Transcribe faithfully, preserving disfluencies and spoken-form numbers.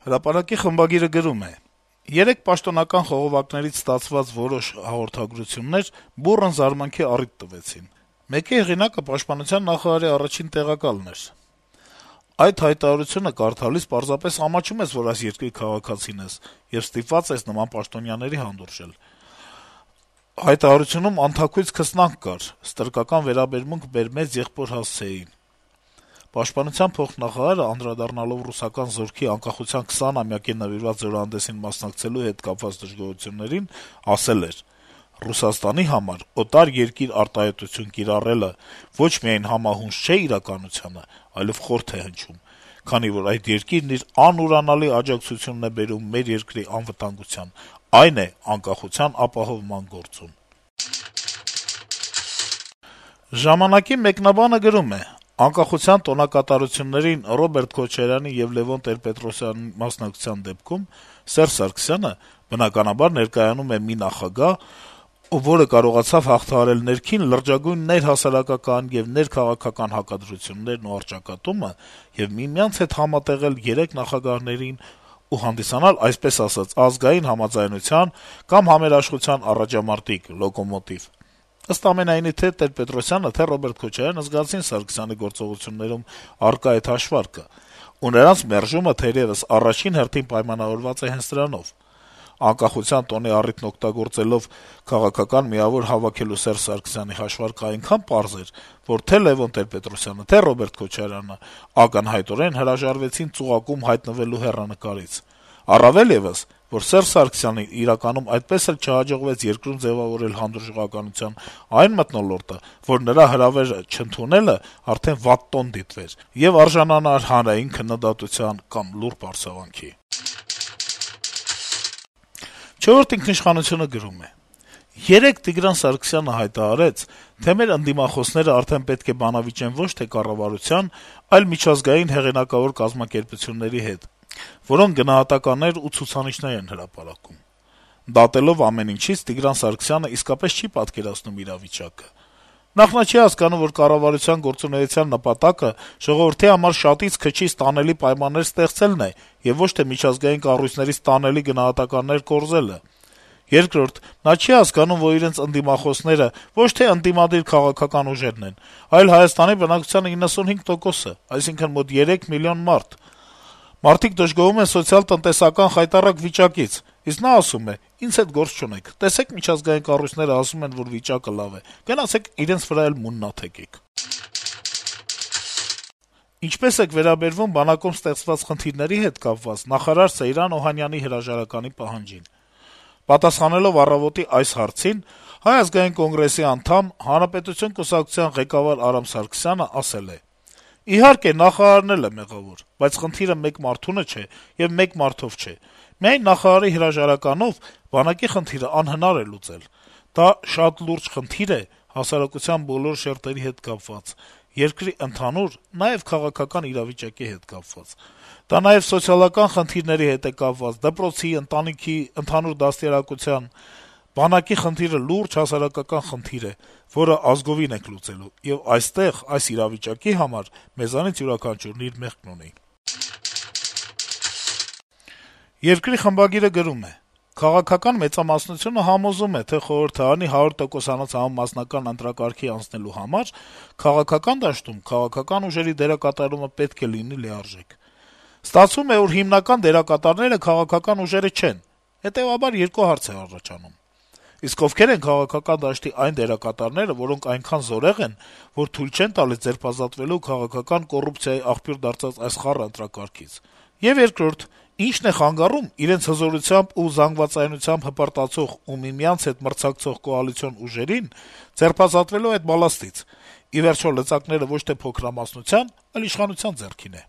Հրապարակի խմբագիրը գրում է. - «Երեկ պաշտոնական խողովակներից ստացված որոշ հաղորդագրություններ բուռն զարմանքի առիթ տվեցին: Մեկի հեղինակը պաշտպանության նախարարի առաջին տեղակալն էր: Այդ հայտարարությունը կարդալիս պարզապես ամաչում ես, որ այս երկրի քաղաքացին ես, եւ ստիպված ես նման պաշտոնյաների հանդուրժել: Հայտարարությունում անթաքույց քսնանք կար, ստրկական վերաբերմունք մեր մեծ եղբոր հասցեին: Պաշտպանության փոխնախարարը, անդրադառնալով ռուսական զորքի անկախության քսանամյակին նվիրված զորահանդեսին մասնակցելու հետ կապված դժգոհություններին, ասել էր. «Ռուսաստանի համար օտար երկիր արտահայտություն կիրառելը ոչ միայն համահունչ չէ իրականությանը, այլեւ խորթ է հնչում, քանի որ այդ երկիրն իր անուրանալի աջակցությունն է բերում մեր երկրի անվտանգության, այն է անկախության ապահովման գործում»: «Ժամանակ»-ի մեկնաբանը գրում է. - «Անկախության տոնակատարություններին Ռոբերտ Քոչարյանի եւ Լեւոն Տեր-Պետրոսյանի մասնակցության դեպքում Սերժ Սարգսյանը, բնականաբար, ներկայանում է մի նախագահ, որը կարողացավ հաղթահարել ներքին լրջագույն ներհասարակական եւ ներքաղաքական հակադրություններն ու առճակատումը եւ միմյանց հետ համատեղել երեք նախագահներին ու հանդիսանալ, այսպես ասած, ազգային համաձայնության կամ համերաշխության առաջամարտիկ, լոկոմոտիվ: Ըստ ամենայնի, թե Տեր-Պետրոսյանը, թե Ռոբերտ Քոչարյանը զգացին Սարգսյանի գործողություններում առկա այդ հաշվարկը, ու նրանց մերժումը թերեւս առաջին հերթին պայմանավորված է հենց դրանով: Անկախության տոնի առիթն օգտագործելով քաղաքական միավոր հավաքելու Սերժ Սարգսյանի հաշվարկը այնքան պարզ էր, որ թե Լեւոն Տեր-Պետրոսյանը, թե Ռոբերտ Քոչարյանը ակնհայտորեն հրաժարվեցին ծուղակում հայտնվելու հեռանկարից: Առավել եւս, որ Սերժ Սարգսյանին իրականում այդպես էլ չհաջողվեց երկրում ձեւավորել հանդուրժողականության այն մթնոլորտը, որ նրա հրավերը չընդունելը արդեն վատ տոն դիտվեր եւ արժանանար հանրային քննադատության կամ լուրջ արձագանքի»: «Չորրորդ ինքնիշխանություն»-ը գրում է. - «Երեկ Տիգրան Սարգսյանը հայտարարեց, թե մեր ընդդիմախոսները արդեն պետք է բանավիճեն ոչ թե կառավարության, այլ միջազգային հեղինակավոր կազմակերպությունների հետ, որոնք գնահատականներ ու ցուցանիշներ են հրապարակում: Դատելով ամեն ինչից, Տիգրան Սարգսյանը իսկապես չի պատկերացնում իրավիճակը: Նախ` նա չի հասկանում, որ կառավարության գործունեության նպատակը ժողովրդի համար շատից քչից տանելի պայմաններ ստեղծելն է եւ ոչ թե միջազգային կառույցներից տանելի գնահատականներ կորզելը: Երկրորդ` նա չի հասկանում, որ իրենց ընդդիմախոսները ոչ թե ընդդիմադիր քաղաքական ուժերն են, այլ Հայաստանի բնակչության իննսունհինգ տոկոսը, այսինքն` մոտ երեք միլիոն մարդ: Մարդիկ դժգոհում են սոցիալ-տնտեսական խայտառակ վիճակից, իսկ նա ասում է. ինձ հետ գործ չունեք, տեսեք միջազգային կառույցները ասում են, որ վիճակը լավ է, գնացեք իրենց վրա էլ մուննաթ եկեք»: Ինչպե՞ս եք վերաբերվում բանակում ստեղծված խնդիրների հետ կապված նախարար Սեյրան Օհանյանի հրաժարականի պահանջին: Պատասխանելով «Առավոտ»-ի այս հարցին, Հայ ազգային կոնգրեսի անդամ, Հանրապետություն կուսակցության ղեկավար Արամ Սարգսյանը ասել է. - «Իհարկե, նախարարն էլ է մեղավոր, բայց խնդիրը մեկ մարդունը չէ եւ մեկ մարդով չէ: Միայն նախարարի հրաժարականով բանակի խնդիրը անհնար է լուծել: Դա շատ լուրջ խնդիր է, հասարակության բոլոր շերտերի հետ կապված, երկրի ընդհանուր, նաեւ քաղաքական իրավիճակի հետ կապված: Դա նաեւ սոցիալական խնդիրների հետ է կապված, դպրոցի, ընտանիքի, ընդհանուր դաստիարակության: Բանակի խնդիրը լուրջ հասարակական խնդիր է, որը ազգովին ենք լուծելու, եւ այստեղ, այս իրավիճակի համար մեզանից յուրաքանչյուրն իր մեղքն ունի»: «Երկիր» խմբագիրը գրում է. - «Քաղաքական մեծամասնությունը համոզում է, թե խորհրդարանի հարյուր տոկոսանոց համամասնական ընտրակարգի անցնելու համար քաղաքական դաշտում քաղաքական ուժերի դերակատարումը պետք է լինի լիարժեք: Ստացվում է, որ հիմնական դերակատարները քաղաքական ուժերը չեն: Հետեւաբար երկու հարց է առաջանում. իսկ ովքեր են քաղաքական դաշտի այն դերակատարները, որոնք այնքան զորեղ են, որ թույլ չեն տալիս ձերբազատվելու քաղաքական կոռուպցիայի աղբյուր դարձած այս խառը ընտրակարգից: Եվ երկրորդ. ինչն է խանգարում իրենց հզորությամբ ու զանգվածայնությամբ հպարտացող ու միմյանց հետ մրցակցող կոալիցիոն ուժերին ձերբազատվելու այդ բալաստից: Ի վերջո, լծակները ոչ թե փոքրամասնության, այլ իշխանության ձեռքին է»: